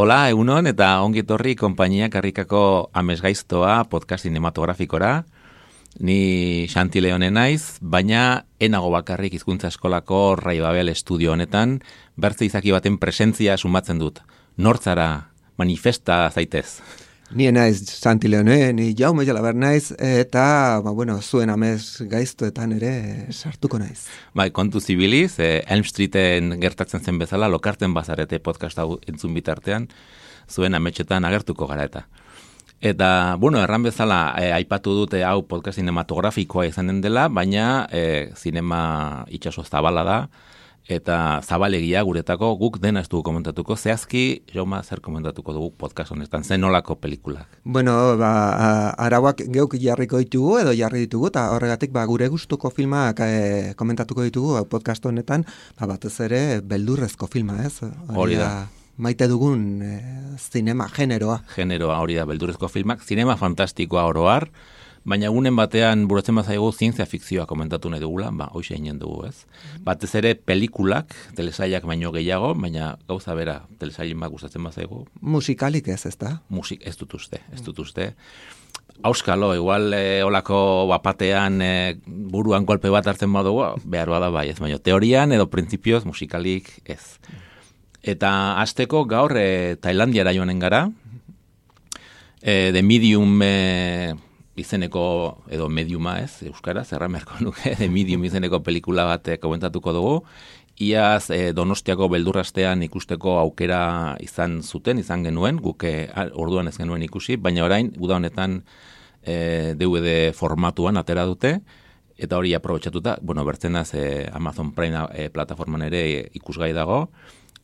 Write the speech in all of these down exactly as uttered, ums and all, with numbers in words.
Hola, egunon eta ongi etorri konpainia karrikako amesgaiztoa podcast cinematografikora. Ni Xanti Leone naiz, baina enago bakarrik hizkuntza eskolako Rai Babel estudio honetan, bertze izaki baten presentzia sumatzen dut. Nortzara, manifesta zaitez. Ni naiz Xanti Leone, ni Jaume Jalaber naiz, eta, ba, bueno, zuen amez gaiztoetan ere sartuko naiz. Bai, kontu zibiliz, eh, Elm Streeten gertatzen zen bezala, lokarten bazarete podcast hau entzun bitartean, zuen ametxetan agertuko gara eta. Eta, bueno, erran bezala, eh, aipatu dute hau podcast cinematografikoa izanen dela, baina eh, zinema itxaso zabala da, eta zabalegia guretako guk dena ez dugu komentatuko. Zehazki, Joma, zer komentatuko dugu podcast honetan, zen nolako pelikulak? Bueno, ba, arauak geuk jarriko ditugu edo jarri ditugu, eta horregatik ba, gure gustuko filmak e, komentatuko ditugu podcast honetan, ba, batez ere beldurrezko filma, ez? Hori da. Maite dugun e, zinema generoa. Generoa, hori da, beldurrezko filmak, zinema fantastikoa oroar, baina egunen batean buratzen bazaigu zientzia fikzioa komentatu nahi dugula, ba, hoxe egin dugu, ez? Batez ere pelikulak, telesailak baino gehiago, baina gauza bera, telesailin bat gustatzen bazaigu. Musikalik ez, ez da? Musik, ez dut uste, ez dut uste. Auskalo, igual e, olako bapatean e, buruan golpe bat hartzen badugu, behar bada bai, ez, baina teorian edo printzipioz musikalik ez. Eta hasteko gaur e, Tailandiara joanen gara, e, The Medium e, izeneko, edo mediuma ez, euskara, zerra merko nuke, The Medium izeneko pelikula bat komentatuko dugu. Iaz e, Donostiako beldurrastean ikusteko aukera izan zuten, izan genuen, guke orduan ez genuen ikusi, baina orain, uda honetan e, D V D formatuan atera dute, eta hori aprobetxatuta, bueno, bertzenaz e, Amazon Prime e, plataforman ere e, ikusgai dago,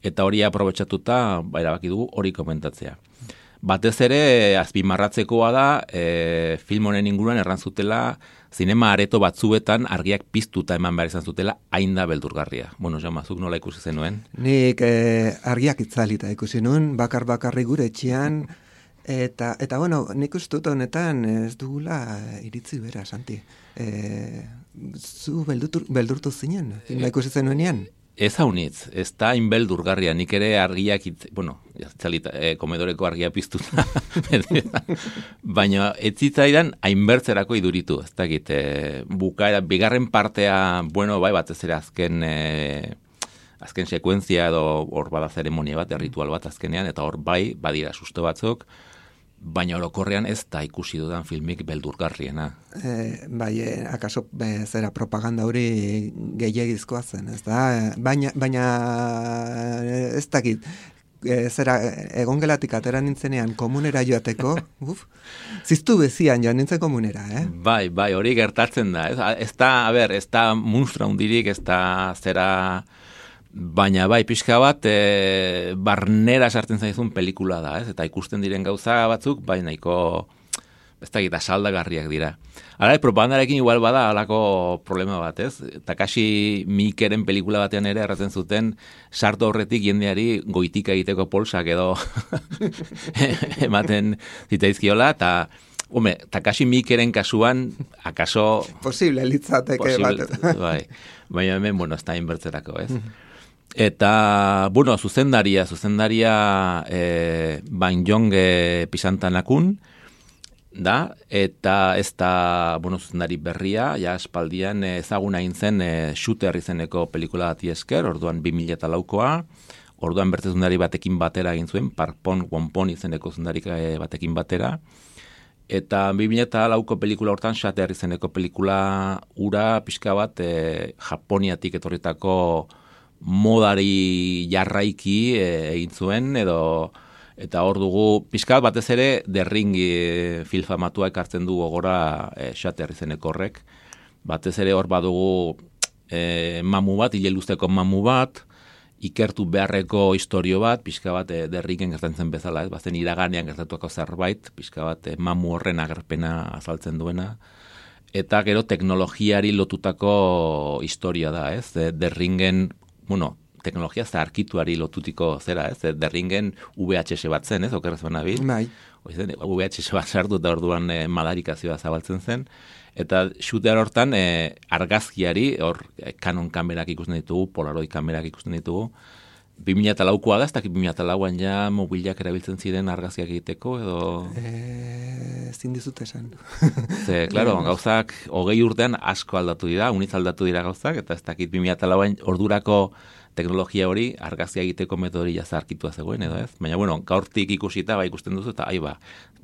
eta hori aprobetxatuta, ba, erabaki dugu hori komentatzea. Batez ere, azpimarratzekoa da, e, film honen inguruan erran zutela, zinema areto batzuetan argiak piztuta eman behar izan zutela, hain da beldurgarria. Bueno, Jaume, zuk nola ikusi zenuen? Nik e, argiak itzalita ikusi nuen, bakar-bakarri gure etxean, eta, eta bueno, nik ustut honetan ez dugula iritzi bera, Santi. E, zu beldurtu, beldurtu zinen, filma ikusi zenuenean? Ez haunitz, ez da inbeldurgarria, nik ere argiak, itz, bueno, jatzalita, e, komedoreko argia piztuta, baina ez zitzaidan hainbertzerako iduritu, ez dakit, e, bukaera, bigarren partea, bueno, bai, batez ere azken, e, azken sekuentzia edo hor bada zeremonia bat, ritual bat azkenean, eta hor bai, badira susto batzuk, baina orokorrean ez da ikusi dudan filmik beldurgarriena. E, bai, e, akaso e, zera propaganda hori gehiagizkoa zen, ez da? Baina, baina ez dakit, e, zera egongelatik atera nintzenean komunera joateko, uf, ziztu bezian joan nintzen komunera, eh? Bai, bai, hori gertatzen da, ez, ez da, a ber, ez da munstra hundirik, ez da zera... Baina bai, pixka bat, e, barnera sartzen zaizun pelikula da, ez? Eta ikusten diren gauza batzuk, bai nahiko, ez da gita saldagarriak dira. Hala, propagandarekin igual bada halako problema bat, ez? Takashi Miikeren pelikula batean ere erratzen zuten, sartu horretik jendeari goitika egiteko polsak edo ematen zitzaizkiola, eta... Hume, Takashi Miikeren kasuan, akaso... Posible, litzateke bat. Bai, baina hemen, bueno, ez da inbertzerako, ez? Eta, bueno, zuzendaria, zuzendaria e, Banjong e, Pisantanakun, da, eta ez da, bueno, zuzendari berria, ja espaldian ezaguna egin zen e, Shooter izeneko pelikula bati esker, orduan bi mila laukoa, orduan bertze zuzendari batekin batera egin zuen, Parpon Wonpon izeneko zuzendari batekin batera, eta bi mila lauko pelikula hortan Shooter izeneko pelikula ura pixka bat e, Japoniatik etorritako modari jarraiki e, egin zuen, edo eta hor dugu pixka batez ere derringi e, filfamatua ekartzen du gogora e, Shooter izeneko horrek. Batez ere hor badugu e, mamu bat, ile luzteko mamu bat, ikertu beharreko istorio bat, pixka bat e, derriken gertatzen bezala, ez, bazen iraganean gertatuako zerbait, pixka bat e, mamu horren agerpena azaltzen duena, eta gero teknologiari lotutako historia da, ez, e, derringen, bueno, teknologia zaharkituari lotutiko zera, ez, e, derringen V H S bat zen, ez, okerrez banabil, bai. V H S bat sartu eta orduan e, madarikazioa zabaltzen zen, eta shooter hortan e, argazkiari, hor Canon kamerak ikusten ditugu, Polaroid kamerak ikusten ditugu, bi mila laukoa da, ez dakit bi mila lauan ja mobilak erabiltzen ziren argazkiak egiteko, edo... E, zin dizut esan. Ze, klaro, gauzak hogei urtean asko aldatu dira, uniz aldatu dira gauzak, eta ez dakit bi mila lauan ordurako teknologia hori argazkia egiteko metodori jazarkitua zegoen, edo ez? Baina, bueno, gaurtik ikusita, ba, ikusten duzu, eta aiba,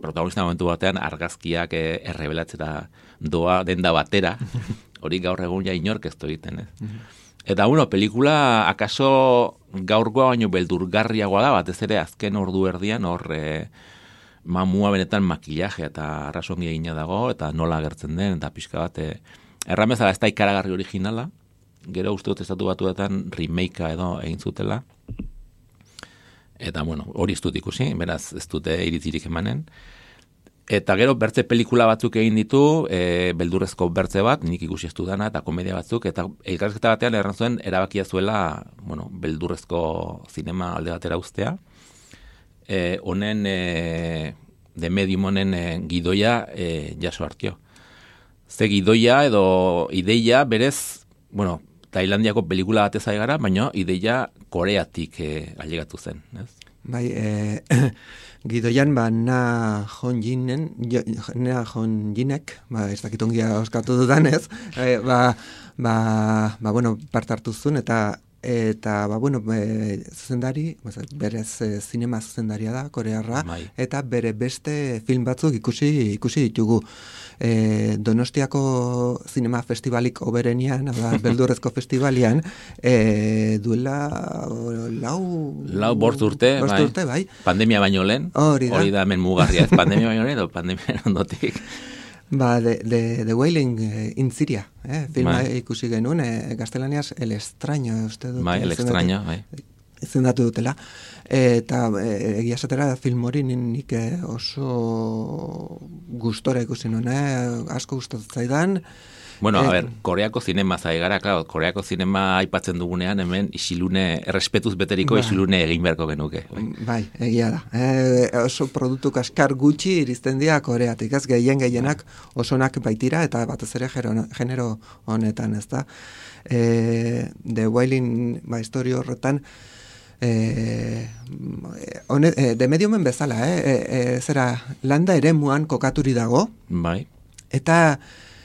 protagonista momentu batean argazkiak eh, errebelatzera doa denda batera, hori gaur egun ja inork ez egiten, ez? Eta, bueno, pelikula akaso gaurgoa baino beldurgarriagoa da, batez ere azken ordu erdian, hor eh, mamua benetan makillaje eta arrasongi egina dago, eta nola agertzen den, eta pixka bat, eh, erramezala ez da ikaragarri originala, gero uste dut estatu batuetan remakea edo egin zutela. Eta, bueno, hori ez dut ikusi, beraz ez dute iritzirik emanen. Eta gero bertze pelikula batzuk egin ditu, e, beldurrezko bertze bat, nik ikusi ez dudana, eta komedia batzuk, eta elkarrizketa batean erran zuen erabakia zuela, bueno, beldurrezko zinema alde batera ustea. E, honen, e, de medium honen e, gidoia e, jaso hartio. Ze gidoia edo ideia berez, bueno, Tailandiako pelikula batez ari gara, baina ideia Koreatik eh, ailegatu zen, ez? Bai, eh, gidoian ba Na Honjinen, Na Honjinek, ba ez dakit ongia oskatu dudan, ez? Eh, ba, ba, ba bueno, parte hartu zuen eta eta ba bueno, e, zuzendari, berez e, zinema zuzendaria da, korearra, Bai. eta bere beste film batzuk ikusi ikusi ditugu. E, Donostiako zinema festivalik oberenian, da, beldurrezko festivalian, e, duela lau... Lau bortz urte, bortz bai. urte, bai. Pandemia baino lehen, hori da, hori da hemen mugarria, ez? Pandemia baino lehen, edo pandemia ondotik. Ba, de, de, de Wailing eh, in Syria, eh? filma Bai. ikusi genuen, eh, gaztelaniaz El Extraño, uste dut. Bai, El Extraño, bai. Izendatu dutela. Eta e, egia esatera film hori nik eh, oso gustora ikusi nuen, eh? asko gustatzen zaidan. Bueno, a Eh, ver, Koreako zinema zai gara, claro, Koreako zinema aipatzen dugunean hemen isilune, errespetuz beteriko Bai. isilune egin beharko genuke. Bai. Bai, egia da. E, oso produktu kaskar gutxi iristen dira Koreatik, ez gehien gehienak osonak baitira eta batez ere genero, genero honetan, ez da. E, The Wailing, ba, historio horretan, e, one, e, de mediomen bezala, eh? e, e, zera, landa ere muan kokaturi dago, Bai. eta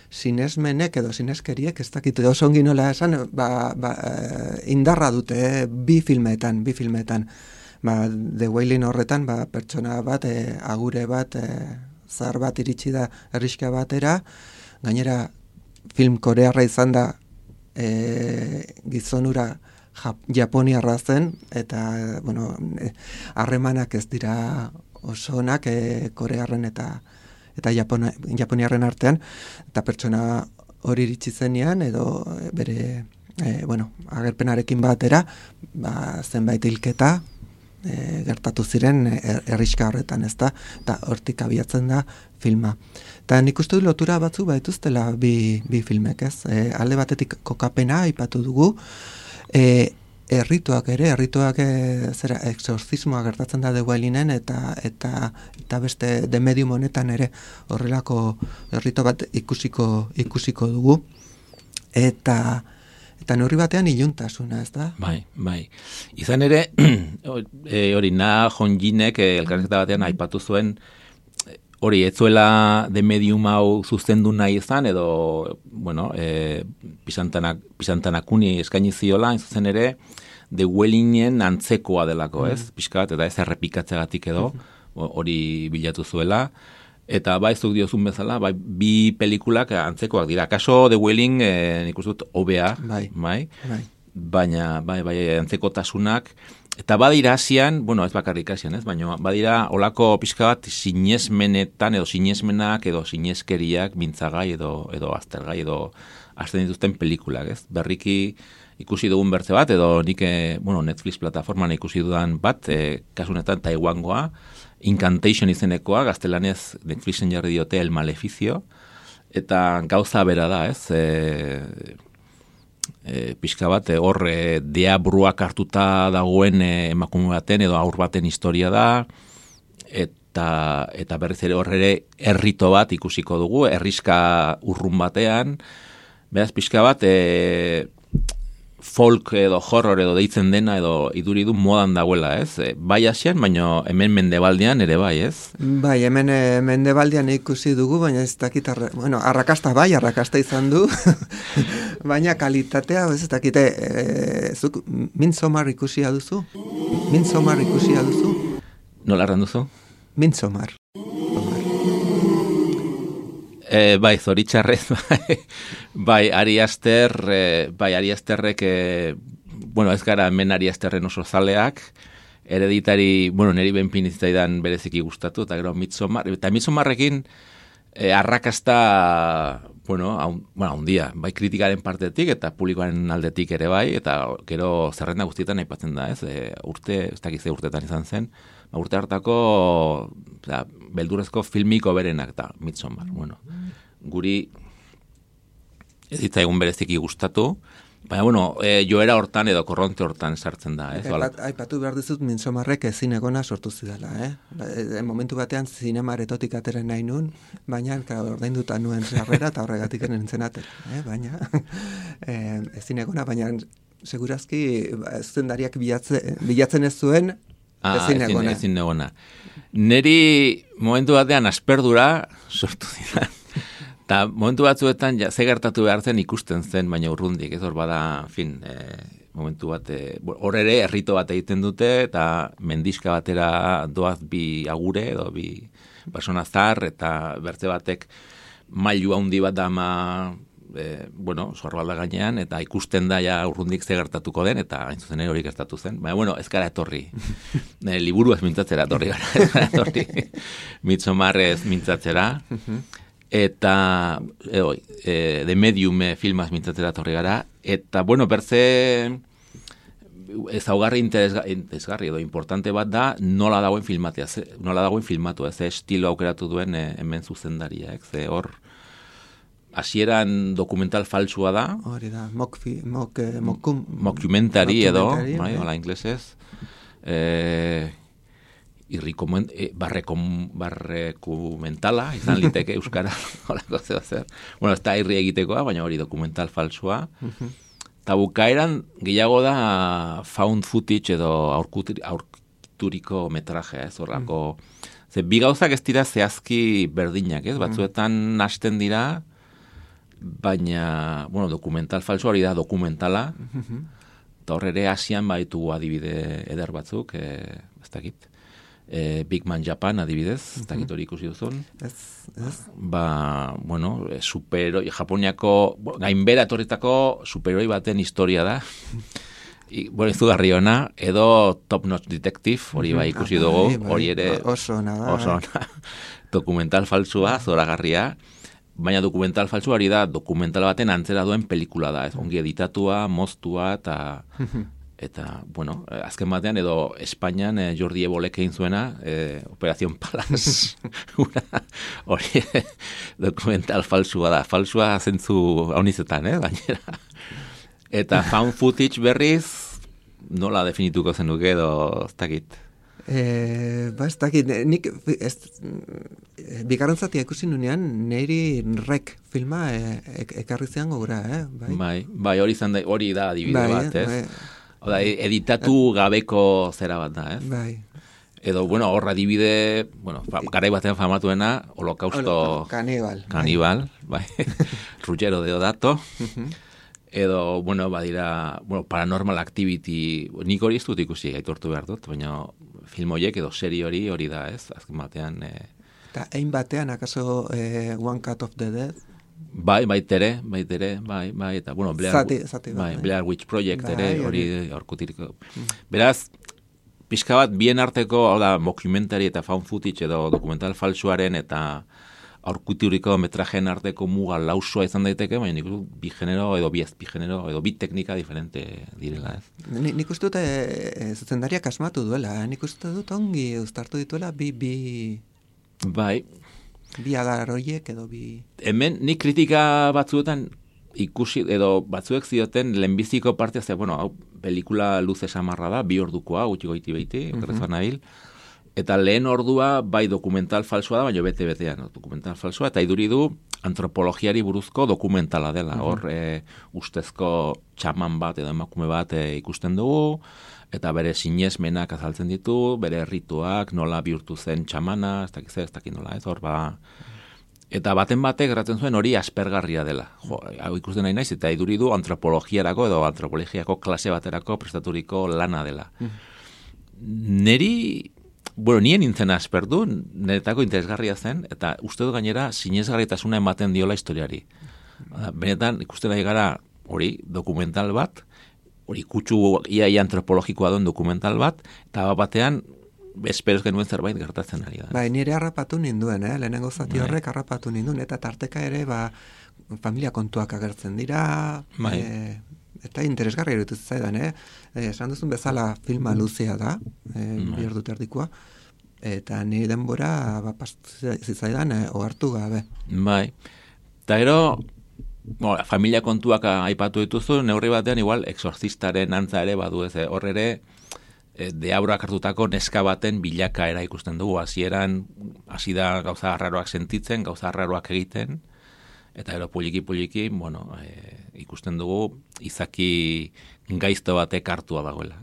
sinesmenek edo sineskeriek, ez dakit oso ongi nola esan, ba, ba, indarra dute, eh, bi filmetan, bi filmetan. Ba, The Wailing horretan, ba, pertsona bat, eh, agure bat, eh, zahar bat iritsi da herriska batera, gainera film korearra izan da eh, gizonura Jap- Japoniarra zen, eta, bueno, eh, harremanak ez dira oso onak eh, korearren eta eta Japona, Japoniarren artean, eta pertsona hori iritsi zenean, edo bere, e, bueno, agerpenarekin batera, ba, zenbait hilketa e, gertatu ziren er, herriska horretan, ez da, eta hortik abiatzen da filma. Eta nik uste du lotura batzu baituztela bi, bi filmek, ez? E, alde batetik kokapena aipatu dugu, e, errituak ere, errituak e, zera exorcismoa gertatzen da The Wailingen eta eta eta beste de medium honetan ere horrelako errito bat ikusiko ikusiko dugu eta eta neurri batean iluntasuna, ez da? Bai, bai. Izan ere, e, hori Na Honjinek e, elkarrizketa batean aipatu zuen hori, ez zuela de medium hau zuzendu nahi izan, edo, bueno, e, pisantanak, pisantanakuni eskaini ziola, hain zuzen ere, The Wailingen antzekoa delako, ez? Mm. Piskat, eta ez errepikatzegatik edo, hori bilatu zuela. Eta bai, zuk diozun bezala, bai, bi pelikulak antzekoak dira. Kaso The Wailing, e, nik uste dut, hobea, Bai. bai? Bai. Baina, bai, bai, antzekotasunak, eta badira asian, bueno, ez bakarrik asian, ez, baina badira olako pixka bat sinesmenetan edo sinesmenak edo sineskeriak mintzagai edo edo aztergai edo azten dituzten pelikulak, ez? Berriki ikusi dugun bertze bat, edo nik, e, bueno, Netflix plataforman ikusi dudan bat, e, kasunetan Taiwangoa, Incantation izenekoa, gaztelanez Netflixen jarri diote El Maleficio, eta gauza bera da, ez? E, e, pixka bat, hor e, deabruak hartuta dagoen e, emakume baten edo aur baten historia da, eta, eta berriz ere hor ere errito bat ikusiko dugu, herriska urrun batean, beraz pixka bat, e, folk edo horror edo deitzen dena edo iduri du modan dagoela, ez? E, bai asian, baina hemen mendebaldean ere bai, ez? Bai, hemen e, mendebaldean ikusi dugu, baina ez dakit, arra, bueno, arrakasta bai, arrakasta izan du, baina kalitatea, ez dakite, e, zuk Midsommar ikusia duzu? Midsommar ikusia duzu? Nola erran duzu? Midsommar. E, bai, zoritxarrez, bai, bai, Ari Aster, e, bai, Ari Asterrek, e, bueno, ez gara hemen Ari Asterren oso zaleak, hereditari, bueno, neri benpin izatean bereziki gustatu, eta gero Midsommar, eta Midsommarrekin e, arrakasta, bueno, haun, bueno, haundia, bai kritikaren partetik eta publikoaren aldetik ere bai, eta gero zerrenda guztietan aipatzen da, ez, e, urte, ez dakize urtetan izan zen, urte hartako da, beldurrezko filmiko berenak da Midsommar. Bueno, guri ez ditza egun bereziki gustatu, baina bueno, e, joera hortan edo korronte hortan sartzen da. Ez? Aipat, aipatu behar dizut Midsommarrek zinegona sortu zidala. Eh? E, momentu batean zinemaretotik ateren nahi nun, baina ordainduta nuen sarrera eta horregatik nintzen atera. Eh? Baina e, zinegona, baina segurazki zuzendariak bilatze, bilatzen ez zuen Ah, ezin negona. Ezin negona. Neri momentu batean asperdura sortu zidan. Eta momentu batzuetan ja, ze gertatu behar zen ikusten zen, baina urrundik. Ez hor bada, fin, e, momentu bat, hor ere errito bat egiten dute, eta mendiska batera doaz bi agure, edo bi persona zar, eta bertze batek mailu handi bat dama, E, bueno, zorbalda gainean, eta ikusten da ja urrundik ze gertatuko den, eta hain zuzen hori gertatu zen. Baina, bueno, ez gara etorri. e, liburu ez mintzatzera etorri gara. Ez gara etorri. Midsommar ez mintzatzera. Eta, e, oi, e, The Medium filmaz mintzatzera etorri gara. Eta, bueno, berze ezaugarri interesgarri edo importante bat da nola dagoen filmatea, ze, nola dagoen filmatu, ez estilo aukeratu duen e, hemen zuzendaria, ze hor hasieran dokumental falsua da. Hori da, mokfi, mok, mokum, mockumentary edo, bai, hola inglesez. Eh, irrikomen, eh, barrekom, barrekumentala, izan liteke euskara, holako zeo zer. Bueno, ez da irri egitekoa, baina hori dokumental falsua. Eta bukaeran gehiago da found footage edo aurkituriko metrajea, ez horrako. Ze, bi gauzak ez dira zehazki berdinak, ez? Batzuetan hasten dira, baina, bueno, dokumental falso hori da dokumentala, eta horre ere Asian baitu adibide eder batzuk, e, ez dakit, e, Big Man Japan adibidez, ez dakit hori ikusi duzun. Ez, ez. Ba, bueno, superoi, Japoniako, gainbera etorritako superoi baten historia da, I, bueno, izugarri ona, edo Top Notch Detective, hori bai ikusi dugu, hori ere oso ona, oso ona, dokumental falsua, zoragarria, baina dokumental falsua hori da, dokumental baten antzera duen pelikula da, ez ongi editatua, moztua, eta, eta bueno, azken batean, edo Espainian eh, Jordi Ebolek egin zuena, eh, Operación Palas, hori dokumental falsua da, falsua zentzu haunizetan, eh, gainera. Eta found footage berriz, nola definituko zenuke edo ez dakit? E, ba, ez dakit, nik ez, bigarren zatia ikusi nunean, niri Rek filma e, e, ekarri zean gogura, eh? Bai, bai, bai hori, zan da, hori da adibide bai, bat, ez? Bai. Oda, editatu gabeko zera bat da, ez? Bai. Edo, bueno, horra adibide, bueno, garai batean famatuena, holokausto... Kanibal. Kanibal, bai. Ruggero Deodato. Edo, bueno, badira, bueno, Paranormal Activity, nik hori ez dut ikusi aitortu behar dut, baina film horiek edo serie hori hori da, ez? Azken batean... E... Eta ein batean, akaso e, One Cut of the Dead? Bai, baitere, baitere, bai, bai, eta, bueno, Blair, zati, zati bai, bai. Blair Witch Project bai, ere, hori aurkutiriko. Mm. Beraz, pixka bat bien arteko, hau da, mockumentary eta found footage edo dokumental falsuaren eta aurkuturiko metrajen arteko muga lausua izan daiteke, baina nik uste bi genero edo bi ezpi genero edo bi teknika diferente direla, ez? Ni, nik uste dut e, zuzendariak asmatu duela, nik uste dut ongi uztartu dituela bi, bi... Bai. Bi adar horiek edo bi... Hemen nik kritika batzuetan ikusi, edo batzuek zioten lehenbiziko partea, ze, bueno, hau, pelikula luze samarra da, bi ordukoa, gutxi goiti behiti, okerrezan nabil. Eta lehen ordua bai dokumental falsoa da, baina bete-betean dokumental falsoa, eta iduri du antropologiari buruzko dokumentala dela. Hor, e, ustezko txaman bat edo emakume bat e, ikusten dugu, eta bere sinesmenak azaltzen ditu, bere rituak, nola bihurtu zen txamana, ez dakit ez dakit nola, ez hor, ba... Eta baten batek erraten zuen hori aspergarria dela. Jo, hau ikusten nahi naiz, eta iduri du antropologiarako edo antropologiako klase baterako prestaturiko lana dela. Neri... Bueno, nien nintzen asperdu, niretako interesgarria zen, eta uste du gainera sinesgarritasuna ematen diola historiari. Benetan, ikusten nahi gara hori dokumental bat, hori kutsu iaia antropologikoa duen dokumental bat, eta batean, esperoz genuen zerbait gertatzen ari da. Bai, nire harrapatu ninduen, eh? Lehenengo zati horrek harrapatu ninduen, eta tarteka ere, ba, familia kontuak agertzen dira, bai. e, eta interesgarri erutu zaidan, eh? E, esan duzun bezala filma luzea da, e, bi ordu terdikoa, eta nire denbora ba, zitzaidan eh, ohartu gabe. Bai, eta ero, bo, familia kontuak aipatu dituzu, neurri batean igual exorcistaren antza ere badu ez, hor ere, e, deabroak hartutako neska baten bilakaera ikusten dugu, hasieran hasi da gauza arraroak sentitzen, gauza arraroak egiten, eta ero poliki-poliki, bueno, e, ikusten dugu izaki gaizto batek hartua dagoela.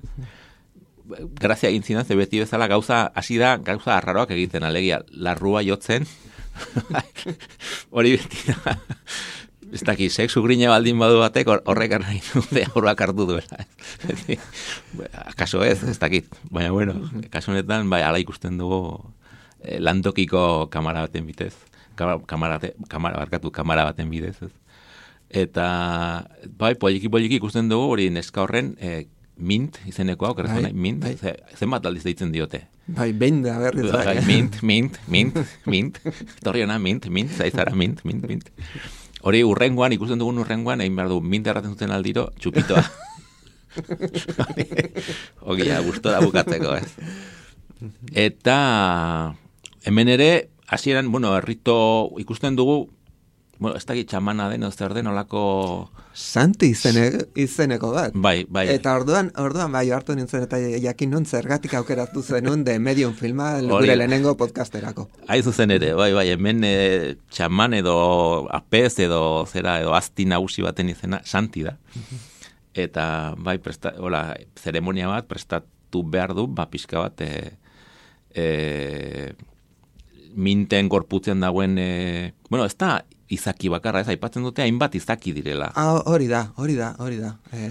Grazia egin zidan, ze beti bezala gauza, hasi da gauza arraroak egiten, alegia, larrua jotzen, hori beti da, ez daki, sexu grine baldin badu batek, horrek nahi dute aurrak hartu duela. Akaso ez, ez dakit, baina bueno, kaso honetan, bai, ala ikusten dugu eh, lantokiko kamara baten bitez. Kamara, kamara, barkatu, kamara baten bidez, ez. Eta, bai, poliki-poliki ikusten dugu, hori neska horren, e, mint, izeneko hau, bai, mint, bai. Zen bat aldiz deitzen diote. Bai, behin da berriz. Bai, mint, mint, mint, mint, torriona, mint, mint, zaizara, mint, mint, mint. Hori urrengoan, ikusten dugun urrengoan, egin behar du, mint erraten zuten aldiro, txupitoa. Ogia, gustora bukatzeko, ez. Eta, hemen ere, hasieran, bueno, errito ikusten dugu, bueno, ez dakit txamana den, ez den, olako... Santi izene, izeneko bat. Bai, bai. Eta orduan, orduan bai hartu nintzen, eta jakin nun zergatik aukeratu zenun de Medium filma, gure lehenengo podcasterako. Haizu zen ere, bai, bai, hemen e, txaman edo apez edo zera, edo asti nagusi baten izena, Santi da. Eta, bai, presta, hola, zeremonia bat prestatu behar du, ba, pixka bat, e, e, minten gorputzen dagoen, e, bueno, ez da izaki bakarra, ez aipatzen dute hainbat izaki direla. Ah, hori da, hori da, hori da. E,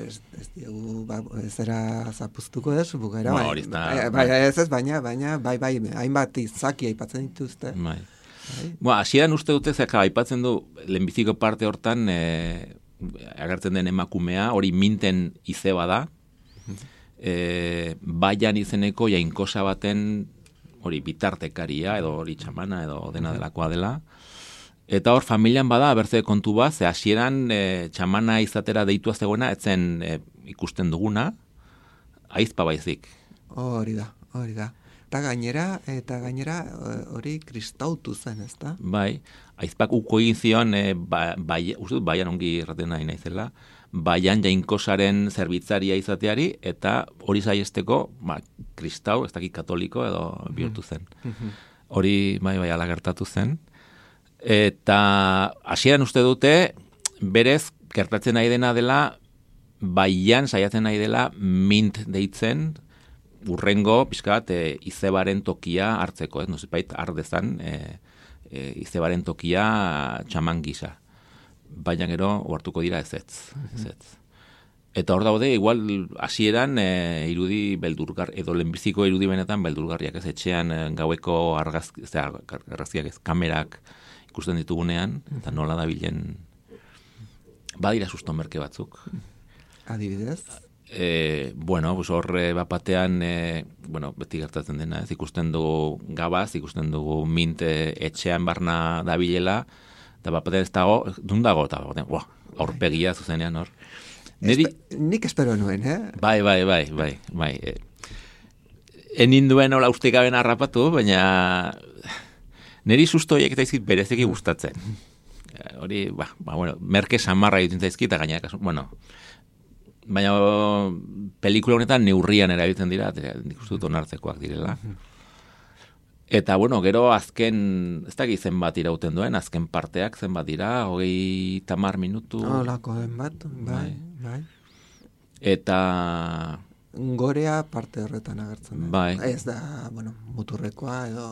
ez, ez diegu, ba, zera zapuztuko ez, bukera, no, bai, hori da, bai, bai, ez ez, baina, baina, bai, bai, hainbat izaki aipatzen dituzte. Bai. Bai. Bueno, hasieran uste dute, zeka, aipatzen du, lehenbiziko parte hortan, e, agertzen den emakumea, hori minten izeba da, e, baian izeneko jainkosa baten, hori bitartekaria, edo hori txamana, edo dena delakoa dela. Eta hor, familian bada, bertze kontu bat, ze hasieran e, txamana izatera deitua zegoena, etzen e, ikusten duguna, aizpa baizik. Hori da, hori da. Eta gainera, eta gainera hori kristautu zen, ez da? Bai, aizpak uko egin zion, e, ba, bai, uste dut, baian ongi erraten nahi naizela, baian jainkosaren zerbitzaria izateari, eta hori zaiesteko, ba, kristau, ez dakit katoliko edo bihurtu zen. Hori, bai, bai, ala gertatu zen. Eta hasieran uste dute, berez, gertatzen nahi dena dela, baian saiatzen nahi dela mint deitzen, urrengo, pixkat, e, izebaren tokia hartzeko, ez, nozipait, ardezan, e, e, izebaren tokia txaman gisa. Baina gero, ohartuko dira ezetz, ezetz. Eta hor daude, igual, hasieran e, irudi beldurgar, edo lehenbiziko irudi benetan beldurgarriak, ez, etxean e, gaueko argazki, ez, argazkiak ez, kamerak ikusten ditugunean, eta nola da bilen, badira susto merke batzuk. Adibidez? E, bueno, pues horre bapatean, e, bueno, beti gertatzen dena, ez ikusten dugu gabaz, ikusten dugu minte etxean barna dabilela, eta bapatean ez dago, dun dago, eta bapatean, buah, aurpegia zuzenean hor. Neri... Espe, nik espero nuen, eh? Bai, bai, bai, bai, bai. E, enin duen hola ustikaben harrapatu, baina neri sustoiek eta izkit berezeki gustatzen. Hori, ba, ba, bueno, merke samarra egiten zaizkit, eta gainera, bueno, baina pelikula honetan neurrian erabiltzen dira, nik uste dut onartzekoak direla. Eta, bueno, gero azken, ez dakit zenbat irauten duen, azken parteak zenbat dira, hogei tamar minutu. Holako den bat, bai, bai. Eta... Gorea parte horretan agertzen da. Bai. Ez da, bueno, muturrekoa edo,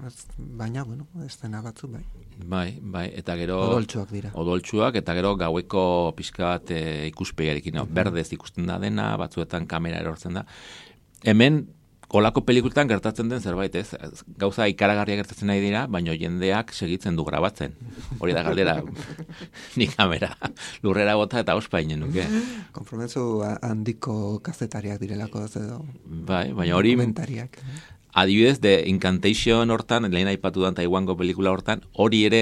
ez, baina, bueno, ez dena batzu, bai. Bai, bai, eta gero... Odoltsuak dira. Odoltsuak, eta gero gaueko pixka bat e, ikuspegiarekin, no? Berdez ikusten da dena, batzuetan kamera erortzen da. Hemen, kolako pelikultan gertatzen den zerbait, ez? Gauza ikaragarria gertatzen nahi dira, baina jendeak segitzen du grabatzen. Hori da galdera, ni kamera lurrera bota eta ospainen nuke. Konprometzu handiko kazetariak direlako, edo... Bai, baina hori... Dokumentariak. Adibidez, de Incantation hortan, lehen aipatu dan Taiwango pelikula hortan, hori ere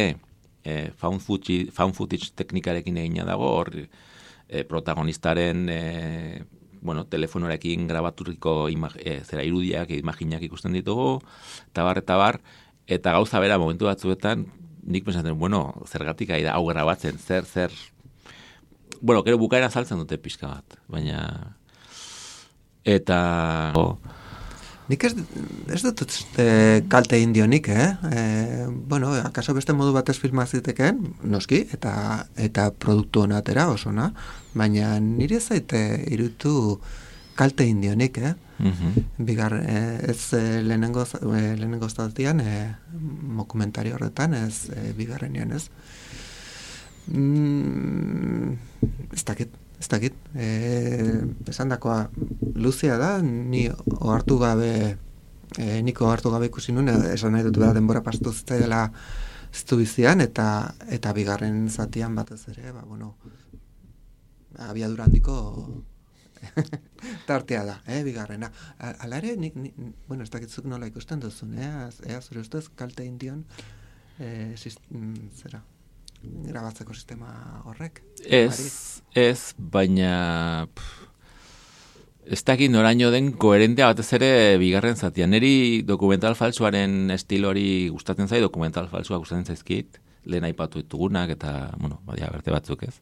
eh, found, footage, found footage teknikarekin egina dago, hor eh, protagonistaren eh, bueno, telefonorekin grabaturiko eh, zera irudiak, imaginak ikusten ditugu, eta bar, eta bar, eta gauza bera momentu batzuetan, nik pensatzen, bueno, zergatik ari da hau grabatzen, zer, zer, bueno, gero bukaera saltzen dute pixka bat, baina, eta... Oh, Nik ez, ez dut e, kalte indionik, eh? E, bueno, akaso beste modu batez filmaziteken, noski, eta eta produktu hona atera, osona, baina nire zaite irutu kalte indionik, eh? Mm-hmm. Bigar, e, ez e, lehenengo, e, lehenengo zatian, e, dokumentari horretan, ez e, bigarrenean, ez? Mm, ez dakit. Ez dakit, e, esan dakoa luzea da, ni ohartu gabe, e, niko ohartu gabe ikusi nuen, esan nahi dut behar denbora pastu zitzaidela ztu bizian, eta, eta bigarren zatian batez ere, ba, bueno, abiadura handiko tartea da, eh, bigarrena. Hala ere, nik, nik, bueno, ez dakitzuk nola ikusten duzun, eh, ea zure ustez kalte indion, e, sist, zera, grabatzeko sistema horrek? Ez, ez, baina pff, ez dakit noraino den koherentea batez ere bigarren zatia. Neri dokumental falsuaren estilori gustatzen zai, dokumental falsua gustatzen zaizkit, lehen aipatu ditugunak eta, bueno, badia berte batzuk ez.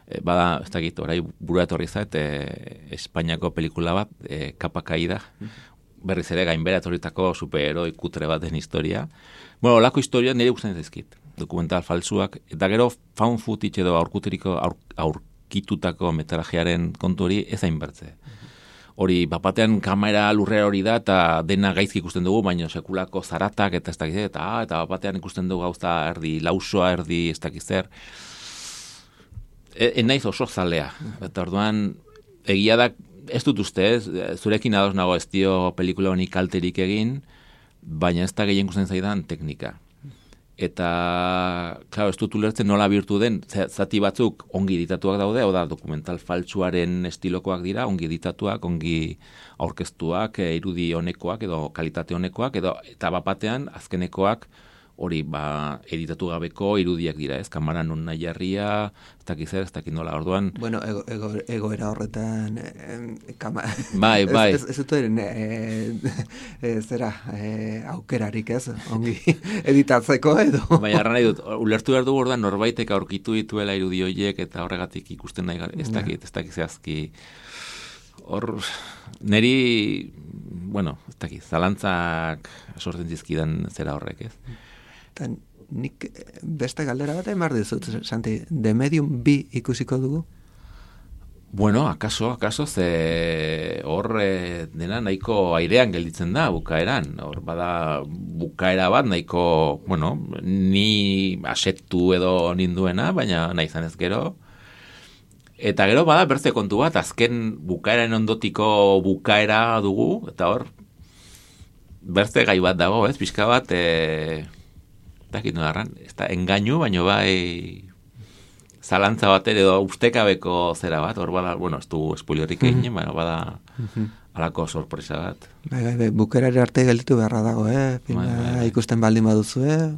E, bada, ez dakit, orai burua etorri zait, e, Espainiako pelikula bat, e, Kapa Kaida, berriz ere gainbera etorritako superheroi kutre baten historia. Bueno, olako historia niri gustatzen zaizkit. Dokumental falsuak, eta gero found footage edo aurkuteriko aur, aurkitutako metrajearen kontu hori ez hainbertze. Hori, bapatean kamera lurrera hori da, eta dena gaizki ikusten dugu, baina sekulako zaratak, eta ez dakiz, eta, ah, eta bapatean ikusten dugu gauza erdi lausoa, erdi ez dakiz zer. E, naiz oso zalea. Eta orduan, egia da, ez dut uste, ez, zurekin ados nago ez dio pelikula honi kalterik egin, baina ez da gehien gusten zaidan teknika. Eta, klaro, ez dut ulertzen nola bihurtu den, zati batzuk ongi editatuak daude, hau da, dokumental faltsuaren estilokoak dira, ongi editatuak, ongi aurkeztuak, irudi honekoak, edo kalitate honekoak, edo, eta bapatean, azkenekoak, hori, ba, editatu gabeko irudiak dira, ez? Kamara non nahi jarria, ez dakit zer, ez dakit nola, orduan... Bueno, ego, ego, egoera horretan... Eh, kama... Bai, bai. Ez, ez, ez duten, eh, eh, zera, eh, aukerarik, ez? Ongi editatzeko edo... Baina, arra nahi dut, ulertu behar dugu orduan norbaitek aurkitu dituela irudi horiek, eta horregatik ikusten nahi gara, ez dakit, ez dakit zehazki... Hor, neri, bueno, ez dakit, zalantzak sortzen zizkidan zera horrek, ez? Eta nik beste galdera bat emar dizut, Santi, The Medium bi ikusiko dugu? Bueno, akaso, akaso, ze hor e, dena nahiko airean gelditzen da bukaeran. Hor bada bukaera bat nahiko, bueno, ni asetu edo ninduena, baina nahi zanez gero. Eta gero bada bertze kontu bat, azken bukaeran ondotiko bukaera dugu, eta hor bertze gai bat dago, ez, pixka bat... E, dakit no darran, ez da engainu, baino bai zalantza bat edo ustekabeko zera bat, hor bada, bueno, ez du spoilerik egin, mm. baina bada alako sorpresa bat. Bai, bai, bai, bukerari arte gelditu beharra dago, eh? Filma, bai, bai. Ikusten baldin baduzu, eh?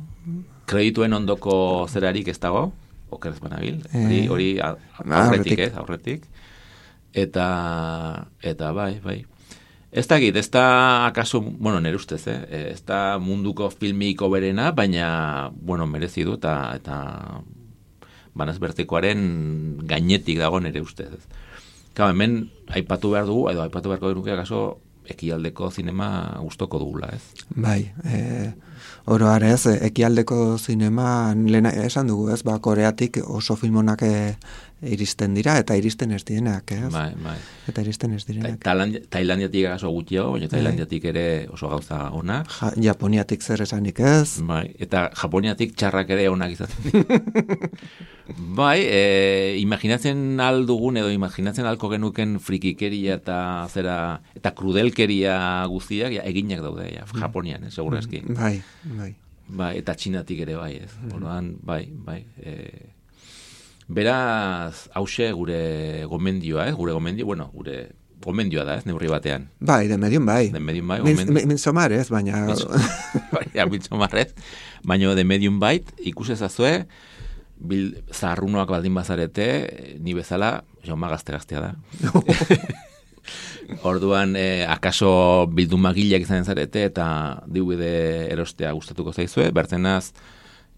Kredituen ondoko zerarik ez dago, okerez banabil, hori, hori aurretik, ez, aurretik. Eta, eta bai, bai. Ez da git, ez da akaso, bueno, nire ustez, eh? Ez da munduko filmiko berena, baina, bueno, merezi du, eta, eta banaz bertikoaren gainetik dago nire ustez. Kau, hemen aipatu behar dugu, edo aipatu beharko dugu, akaso, ekialdeko zinema gustoko dugula, ez? Bai, e, oro arez, ekialdeko zinema, lena, esan dugu, ez, ba, Koreatik oso filmonak e, iristen dira, eta iristen ez dienak, ez? Bai, bai. Eta iristen ez direnak. Ta, Tailandiatik oso gutxiago, baina Tailandiatik ere oso gauza onak. Ja, Japoniatik zer esanik ez? Bai, eta Japoniatik txarrak ere onak izaten. Bai, e, imaginatzen aldugun edo imaginatzen alko genuken frikikeria eta zera, eta krudelkeria guztiak ja, eginak daude, ja, Japonian, eh, segura eski. Bai, bai. Bai, eta Txinatik ere bai, ez. Orduan, bai, bai. E, beraz, hause gure gomendioa, ez, gure gomendio, bueno, gure gomendioa da, ez, neurri batean. Bai, de medium bai. De medium bai, gomendio. Min, minzomar ez, baina... Ja, minzomar ez, baina de medium bait, ikusezazue, bil, zaharrunoak baldin bazarete, ni bezala, joma gazte-gaztea da. Orduan, eh, akaso bildumagileak izan zarete, eta D V D erostea gustatuko zaizue, bertzenaz,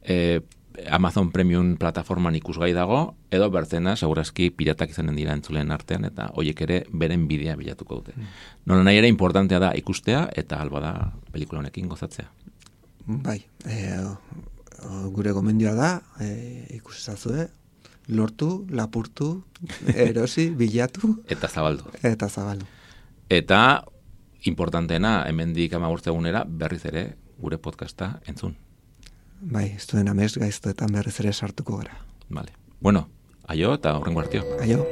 eh, Amazon Premium plataforman ikusgai dago, edo bertzena, segurazki piratak izanen dira entzuleen artean, eta hoiek ere beren bidea bilatuko dute. Mm. Nola nahi ere importantea da ikustea, eta alba da pelikula honekin gozatzea. Bai, e, gure gomendioa da, e, ikusezazue, lortu, lapurtu, erosi, bilatu. Eta zabaldu. Eta zabaldu. Eta, importanteena, hemendik amagurtze egunera, berriz ere, gure podcasta entzun. Bai, ez duen amez gaiztoetan berriz ere sartuko gara. Vale. Bueno, aio eta horrengo artio. Aio.